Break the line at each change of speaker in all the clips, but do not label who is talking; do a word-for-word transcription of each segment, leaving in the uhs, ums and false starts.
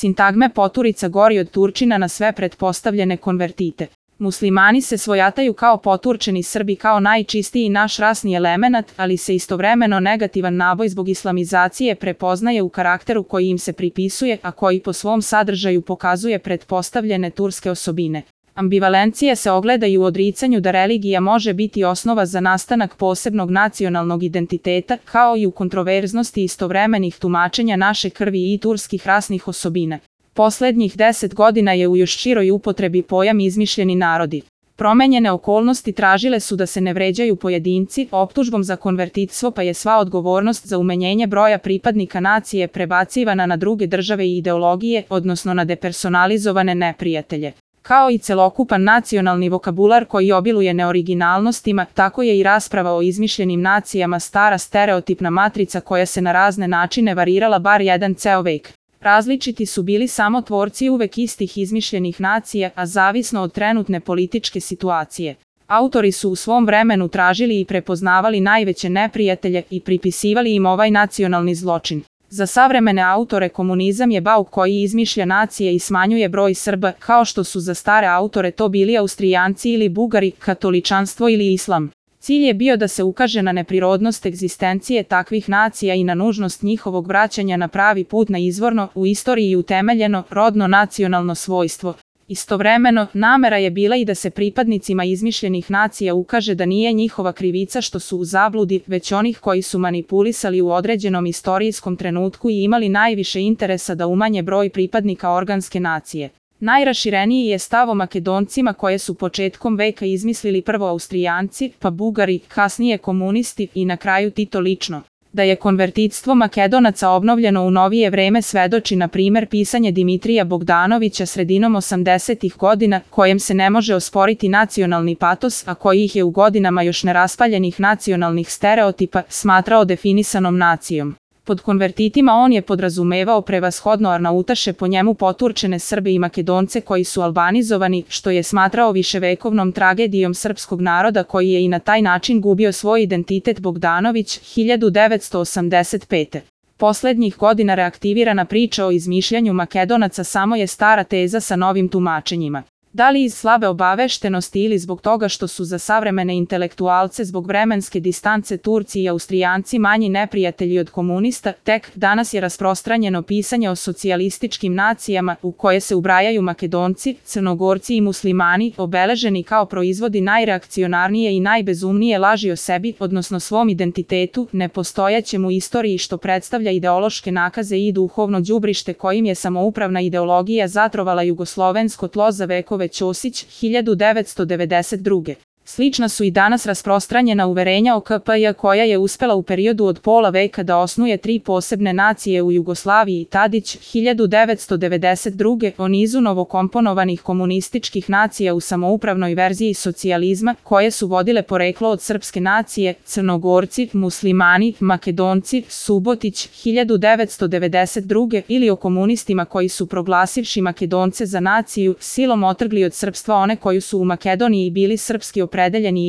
Sintagme poturica gori od Turčina na sve pretpostavljene konvertite. Muslimani se svojataju kao poturčeni Srbi kao najčistiji naš rasni elemenat, ali se istovremeno negativan naboj zbog islamizacije prepoznaje u karakteru koji im se pripisuje, a koji po svom sadržaju pokazuje pretpostavljene turske osobine. Ambivalencije se ogledaju u odricanju da religija može biti osnova za nastanak posebnog nacionalnog identiteta, kao i u kontroverznosti istovremenih tumačenja naše krvi i turskih rasnih osobina. Poslednjih deset godina je u još široj upotrebi pojam izmišljeni narodi. Promenjene okolnosti tražile su da se ne vređaju pojedinci, optužbom za konvertitstvo pa je sva odgovornost za umenjenje broja pripadnika nacije prebacivana na druge države i ideologije, odnosno na depersonalizovane neprijatelje. Kao i celokupan nacionalni vokabular koji obiluje neoriginalnostima, tako je i rasprava o izmišljenim nacijama stara stereotipna matrica koja se na razne načine varirala bar jedan ceo vek. Različiti su bili samo tvorci uvek istih izmišljenih nacija, a zavisno od trenutne političke situacije. Autori su u svom vremenu tražili i prepoznavali najveće neprijatelje i pripisivali im ovaj nacionalni zločin. Za savremene autore komunizam je bauk koji izmišlja nacije i smanjuje broj Srba, kao što su za stare autore to bili Austrijanci ili Bugari, katoličanstvo ili islam. Cilj je bio da se ukaže na neprirodnost egzistencije takvih nacija i na nužnost njihovog vraćanja na pravi put na izvorno, u istoriji utemeljeno, rodno nacionalno svojstvo. Istovremeno, namera je bila i da se pripadnicima izmišljenih nacija ukaže da nije njihova krivica što su u zabludi, već onih koji su manipulisali u određenom istorijskom trenutku i imali najviše interesa da umanje broj pripadnika organske nacije. Najrašireniji je stav o Makedoncima koje su početkom veka izmislili prvo Austrijanci, pa Bugari, kasnije komunisti i na kraju Tito lično. Da je konvertitstvo Makedonaca obnovljeno u novije vreme svedoči na primer pisanje Dimitrija Bogdanovića sredinom osamdesetih godina, kojem se ne može osporiti nacionalni patos, a koji ih je u godinama još neraspaljenih nacionalnih stereotipa smatrao definisanom nacijom. Pod konvertitima on je podrazumevao prevashodno Arnautaše, po njemu poturčene Srbe i Makedonce koji su albanizovani, što je smatrao viševekovnom tragedijom srpskog naroda koji je i na taj način gubio svoj identitet. Bogdanović, hiljadu devetsto osamdeset pete. Poslednjih godina reaktivirana priča o izmišljanju Makedonaca samo je stara teza sa novim tumačenjima. Da li iz slabe obaveštenosti ili zbog toga što su za savremene intelektualce zbog vremenske distance Turci i Austrijanci manji neprijatelji od komunista, tek danas je rasprostranjeno pisanje o socijalističkim nacijama u koje se ubrajaju Makedonci, Crnogorci i Muslimani, obeleženi kao proizvodi najreakcionarnije i najbezumnije laži o sebi, odnosno svom identitetu, nepostojećem u istoriji što predstavlja ideološke nakaze i duhovno đubrište kojim je samoupravna ideologija zatrovala jugoslovensko tlo za vekove. Ćosić, hiljadu devetsto devedeset druge. Slična su i danas rasprostranjena uverenja o K P J koja je uspela u periodu od pola veka da osnuje tri posebne nacije u Jugoslaviji. Tadić, hiljadu devetsto devedeset druge. o nizu novokomponovanih komunističkih nacija u samoupravnoj verziji socijalizma, koje su vodile poreklo od srpske nacije, Crnogorci, Muslimani, Makedonci, Subotić, hiljadu devetsto devedeset druge. ili o komunistima koji su proglasivši Makedonce za naciju, silom otrgli od srpstva one koju su u Makedoniji bili srpski opredeljeni.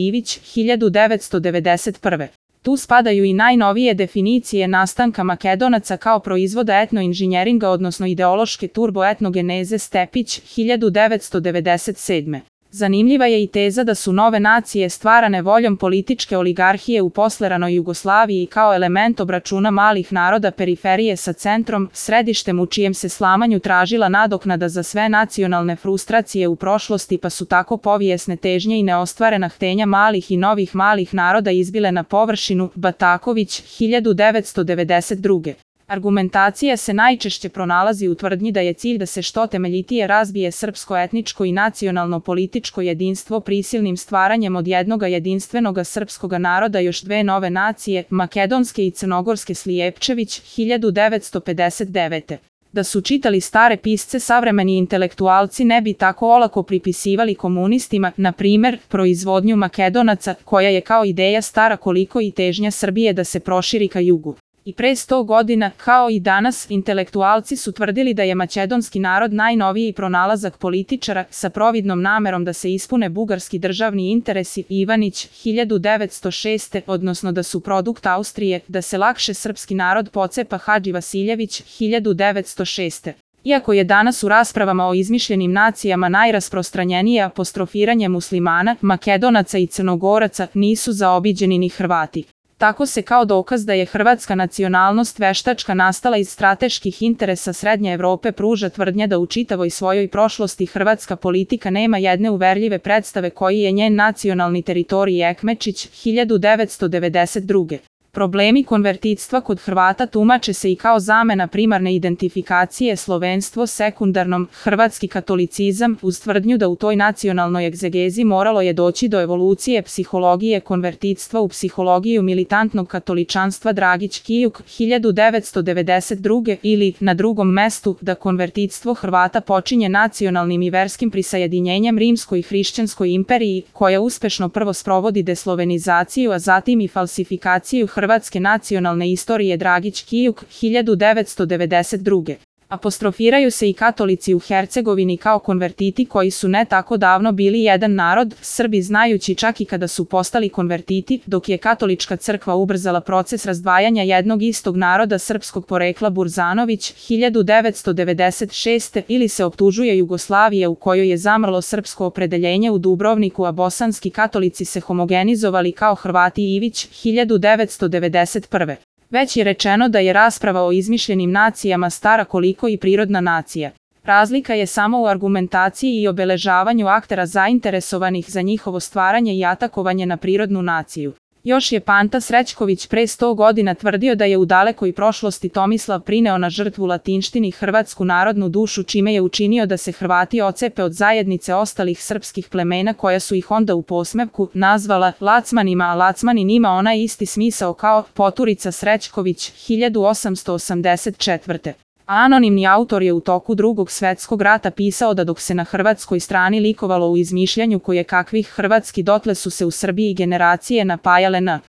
Ivić, hiljadu devetsto devedeset prve. Tu spadaju i najnovije definicije nastanka Makedonaca kao proizvoda etnoinženjeringa odnosno ideološke turboetnogeneze. Stepić, hiljadu devetsto devedeset sedme. Zanimljiva je i teza da su nove nacije stvarane voljom političke oligarhije u posleranoj Jugoslaviji kao element obračuna malih naroda periferije sa centrom, središtem u čijem se slamanju tražila nadoknada za sve nacionalne frustracije u prošlosti, pa su tako povijesne težnje i neostvarena htenja malih i novih malih naroda izbile na površinu. Bataković, hiljadu devetsto devedeset druge. Argumentacija se najčešće pronalazi u tvrdnji da je cilj da se što temeljitije razbije srpsko etničko i nacionalno političko jedinstvo prisilnim stvaranjem od jednoga jedinstvenoga srpskoga naroda još dve nove nacije, makedonske i crnogorske. Slijepčević, hiljadu devetsto pedeset devete. Da su čitali stare pisce savremeni intelektualci ne bi tako olako pripisivali komunistima, na primer, proizvodnju Makedonaca, koja je kao ideja stara koliko i težnja Srbije da se proširi ka jugu. I pre sto godina, kao i danas, intelektualci su tvrdili da je makedonski narod najnoviji pronalazak političara sa providnom namerom da se ispune bugarski državni interesi. Ivanić, hiljadu devetsto šeste. odnosno da su produkt Austrije, da se lakše srpski narod pocepa. Hadži Vasiljević, hiljadu devetsto šeste. Iako je danas u raspravama o izmišljenim nacijama najrasprostranjenije apostrofiranje Muslimana, Makedonaca i Crnogoraca, nisu zaobiđeni ni Hrvati. Tako se kao dokaz da je hrvatska nacionalnost veštačka nastala iz strateških interesa Srednje Evrope pruža tvrdnja da u čitavoj svojoj prošlosti hrvatska politika nema jedne uverljive predstave koji je njen nacionalni teritorij Ekmečić, hiljadu devetsto devedeset druge. Problemi konvertitstva kod Hrvata tumače se i kao zamena primarne identifikacije slovenstvo sekundarnom, hrvatski katolicizam, uz tvrdnju da u toj nacionalnoj egzegezi moralo je doći do evolucije psihologije konvertitstva u psihologiju militantnog katoličanstva Dragić Kijuk, hiljadu devetsto devedeset druge ili, na drugom mestu, da konvertitstvo Hrvata počinje nacionalnim i verskim prisajedinjenjem Rimskoj i hrišćanskoj imperiji, koja uspešno prvo sprovodi deslovenizaciju, a zatim i falsifikaciju hrvatske nacionalne istorije Dragić Kijuk, hiljadu devetsto devedeset druge. Apostrofiraju se i katolici u Hercegovini kao konvertiti koji su ne tako davno bili jedan narod, Srbi znajući čak i kada su postali konvertiti, dok je katolička crkva ubrzala proces razdvajanja jednog istog naroda srpskog porekla Burzanović, hiljadu devetsto devedeset šeste ili se optužuje Jugoslavija u kojoj je zamrlo srpsko opredeljenje u Dubrovniku, a bosanski katolici se homogenizovali kao Hrvati Ivić, hiljadu devetsto devedeset prve. Već je rečeno da je rasprava o izmišljenim nacijama stara koliko i prirodna nacija. Razlika je samo u argumentaciji i obeležavanju aktera zainteresovanih za njihovo stvaranje i atakovanje na prirodnu naciju. Još je Panta Srećković pre sto godina tvrdio da je u dalekoj prošlosti Tomislav prineo na žrtvu latinštini hrvatsku narodnu dušu čime je učinio da se Hrvati ocepe od zajednice ostalih srpskih plemena koja su ih onda u posmevku nazvala Lacmanima, a Lacmanin ima onaj isti smisao kao Poturica Srećković, hiljadu osamsto osamdeset četvrte. Anonimni autor je u toku Drugog svetskog rata pisao da dok se na hrvatskoj strani likovalo u izmišljanju koje kakvih hrvatski dotle su se u Srbiji generacije napajale na